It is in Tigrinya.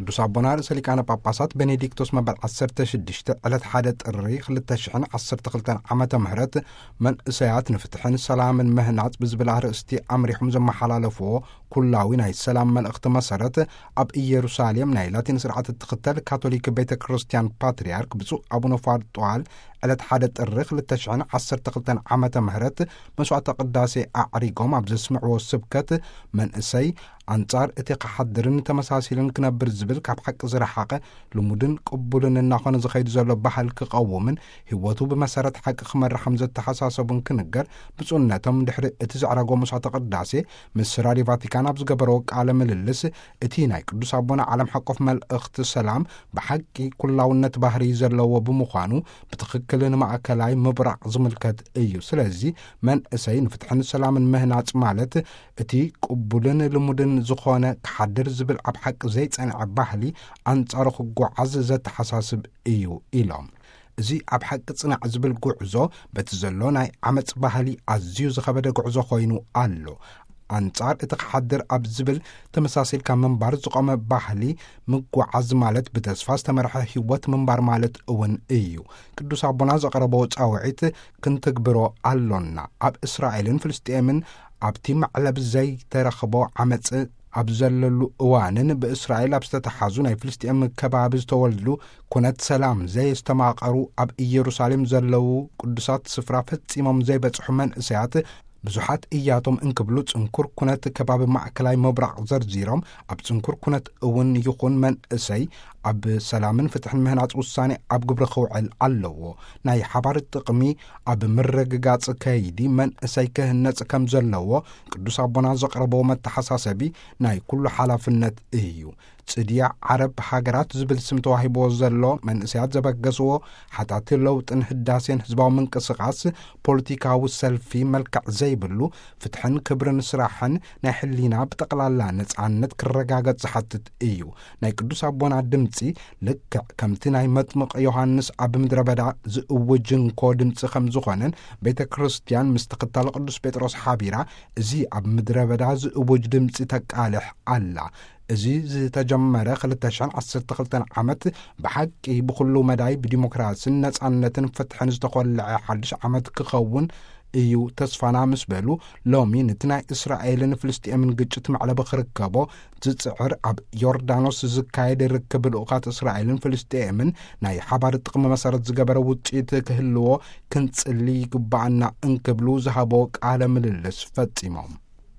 ቅዱስ ኣቦና ርእሰ ሊቃነ ጳጳሳት ቤኔዲክቶስ መበል ዓሰርተ ሽዱሽተ ዕለት ሓደ ጥሪ ክልተ ሽሕን ዓሰርተ ክልተን ዓመተ ምህረት መንእሰያት ንፍትሕን ሰላምን ምህናጽ ብዝብል ኣርእስቲ ኣምሪሖም ዘመሓላለፍዎ ኩላዊ ናይ ሰላም መልእኽቲ መሰረት፣ ኣብ ኢየሩሳሌም ናይ ላቲን ስርዓት እትኽተል ካቶሊክ ቤተ ክርስቲያን ፓትርያርክ ብፁዕ ኣቡነ ፋርጠዋል ዕለት ሓደ ጥሪ ክልተ ሽሕን ዓሰርተ ክልተን ዓመተ ምህረት መስዋዕተ ቅዳሴ ኣዕሪጎም ኣብ ዘስምዕዎ ስብከት፣ መንእሰይ ኣንጻር እቲ ክሓድርን ተመሳሲልን ክነብር ዝብል ካብ ሓቂ ዝረሓቐ ልሙድን ቅቡልን እናኾነ ዝኸይድ ዘሎ ባህል ክቐውምን ህይወቱ ብመሰረት ሓቂ ክመርሕ ከም ዘተሓሳሰቡን ክንገር፣ ብፁዕነቶም ድሕሪ እቲ ዘዕረጎ መስዋዕተ ቅዳሴ ምስ ራድዮ ቫቲካን ኣብ ዝገበረዎ ቃለ ምልልስ፣ እቲ ናይ ቅዱስ ኣቦና ዓለም ሓቆፍ መልእኽቲ ሰላም ብሓቂ ኩላውነት ባህሪ ዘለዎ ብምዃኑ ብትኽክል ንማእከላይ ምብራቕ ዝምልከት እዩ። ስለዚ መንእሰይ ንፍትሕን ሰላምን ምህናጽ ማለት እቲ ቅቡልን ልሙድን ዝኾነ ክሓድር ዝብል ኣብ ሓቂ ዘይጸንዐ ባህሊ ኣንጻሩ ክጓዓዝ ዘተሓሳስብ እዩ ኢሎም። እዚ ኣብ ሓቂ ጽናዕ ዝብል ጉዕዞ በቲ ዘሎ ናይ ዓመጽ ባህሊ ኣዝዩ ዝኸበደ ጉዕዞ ኮይኑ ኣሎ። ኣንጻር እቲ ክሓድር ኣብ ዝብል ተመሳሲልካ ምንባር ዝቖመ ባህሊ ምጓዓዝ ማለት ብተስፋ ዝተመርሐ ህይወት ምንባር ማለት እውን እዩ። ቅዱስ ኣቦና ዘቕረቦ ጻውዒት ክንትግብሮ ኣሎና። ኣብ እስራኤልን ፍልስጤምን ኣብቲ መዕለብ ዘይተረኽቦ ዓመጽ ኣብ ዘለሉ እዋንን ብእስራኤል ኣብ ዝተተሓዙ ናይ ፍልስጤም ከባቢ ዝተወልዱ ኩነት ሰላም ዘየስተማቐሩ ኣብ ኢየሩሳሌም ዘለዉ ቅዱሳት ስፍራ ፈጺሞም ዘይበጽሑ መንእሰያት ብዙሓት እያቶም እንክብሉ ጽንኩር ኩነት ከባቢ ማእከላይ ምብራቕ ዘርዚሮም፣ ኣብ ጽንኩር ኩነት እውን ይኹን መንእሰይ ኣብ ሰላምን ፍትሕን ምህናጽ ውሳኔ ኣብ ግብሪ ክውዕል ኣለዎ። ናይ ሓባር ጥቕሚ ኣብ ምርግጋጽ ከይዲ መንእሰይ ክህነጽ ከም ዘለዎ ቅዱስ ኣቦና ዘቕረቦ መተሓሳሰቢ ናይ ኩሉ ሓላፍነት እዩ። ጽድያ ዓረብ ሃገራት ዝብል ስም ተዋሂብዎ ዘሎ መንእሰያት ዘበገስዎ ሓታቲ ለውጥን ህዳሴን ህዝባዊ ምንቅስቓስ ፖለቲካዊ ሰልፊ መልክዕ ዘይብሉ ፍትሕን ክብርን ስራሕን ናይ ሕሊና ብጠቕላላ ነጻነት ክረጋገጽ ዝሓትት እዩ። ናይ ቅዱስ ኣቦና ድምጺ ልክዕ ከምቲ ናይ መጥምቕ ዮሃንስ ኣብ ምድረ በዳ ዝእውጅ እንኮ ድምጺ ከም ዝኾነን ቤተ ክርስቲያን ምስ ተኸታሊ ቅዱስ ጴጥሮስ ሓቢራ እዚ ኣብ ምድረ በዳ ዝእውጅ ድምጺ ተቃልሕ ኣላ። እዚ ዝተጀመረ ክልተ ሽሕን ዓሰርተ ክልተን ዓመት ብሓቂ ብኹሉ መዳይ ብዲሞክራስን ነጻነትን ፍትሕን ዝተኾልዐ ሓድሽ ዓመት ክኸውን እዩ ተስፋና ምስ በሉ፣ ሎሚ ነቲ ናይ እስራኤልን ፍልስጤምን ግጭት መዕለቢ ክርከቦ ዝጽዕር ኣብ ዮርዳኖስ ዝካየድ ርክብ ልኡኻት እስራኤልን ፍልስጤምን ናይ ሓባር ጥቕሚ መሰረት ዝገበረ ውጽኢት ክህልዎ ክንጽሊ ይግባኣና እንክብሉ ዝሃቦ ቃለ ምልልስ ፈጺሞም።